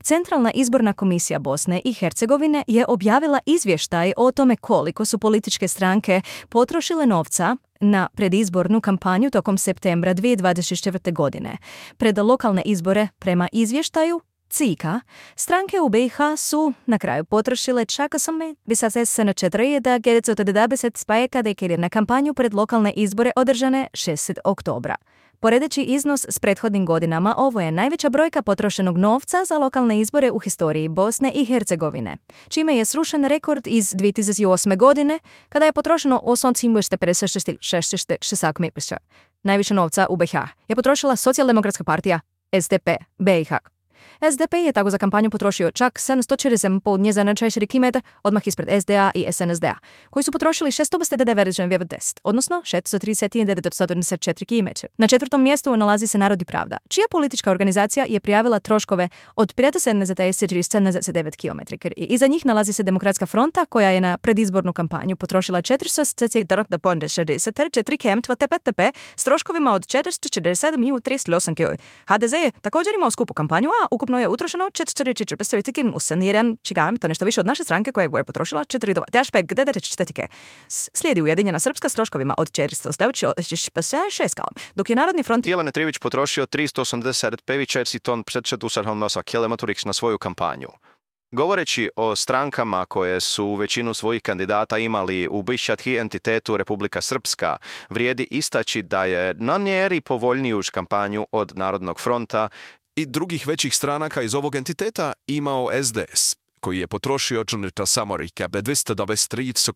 Centralna izborna komisija Bosne i Hercegovine je objavila izvještaj o tome koliko su političke stranke potrošile novca na predizbornu kampanju tokom septembra 2024. godine. Pred lokalne izbore, prema izvještaju CIKA, stranke u BiH su na kraju potrošile čak 8,4 spajeka na kampanju pred lokalne izbore održane 6. oktobra. Poredeći iznos s prethodnim godinama, ovo je najveća brojka potrošenog novca za lokalne izbore u historiji Bosne i Hercegovine, čime je srušen rekord iz 2008. godine, kada je potrošeno 8,56 milijuna. Najviše novca u BiH je potrošila Socijaldemokratska partija SDP BiH. SDP je tako za kampanju potrošio čak 747,5 njezana 4 km, odmah ispred SDA i SNSD-a, koji su potrošili 699,10, odnosno 639,74 km. Na četvrtom mjestu nalazi se Narod i pravda, čija politička organizacija je prijavila troškove od 579 km. I iza njih nalazi se Demokratska fronta, koja je na predizbornu kampanju potrošila 464 km s troškovima od 447,38 km. HDZ je također imao skupu kampanju, a ukupno je utrošeno 4,41 čigam, to nešto više od naše stranke koja je potrošila 4,94. Slijedi Ujedinjena Srpska s troškovima od 496 km, dok je Narodni front Jelene Trivić potrošio 385 ton kilometrix na svoju kampanju. Govoreći o strankama koje su većinu svojih kandidata imali u bivših entitetu Republika Srpska, vrijedi istaći da je na njeri povoljniju kampanju od Narodnog fronta i drugih većih stranaka iz ovog entiteta imao SDS, koji je potrošio 223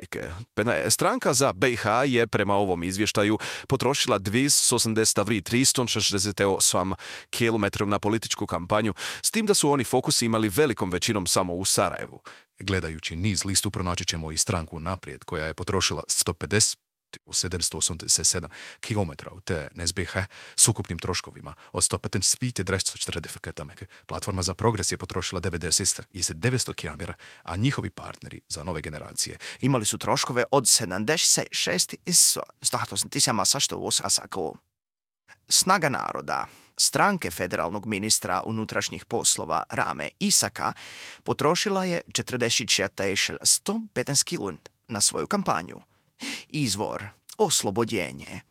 km. Stranka za BiH je prema ovom izvještaju potrošila 283,368 km na političku kampanju, s tim da su oni fokus imali velikom većinom samo u Sarajevu. Gledajući niz listu pronaći ćemo i stranku Naprijed, koja je potrošila 787 km te NSBH s ukupnim troškovima od 150 km. Platforma za progres je potrošila 900 km, a njihovi partneri za nove generacije imali su troškove od 76,100 Snaga naroda, stranke federalnog ministra unutrašnjih poslova Rame Isaka, potrošila je 44,115 km na svoju kampanju. Izvor: Oslobodjenje.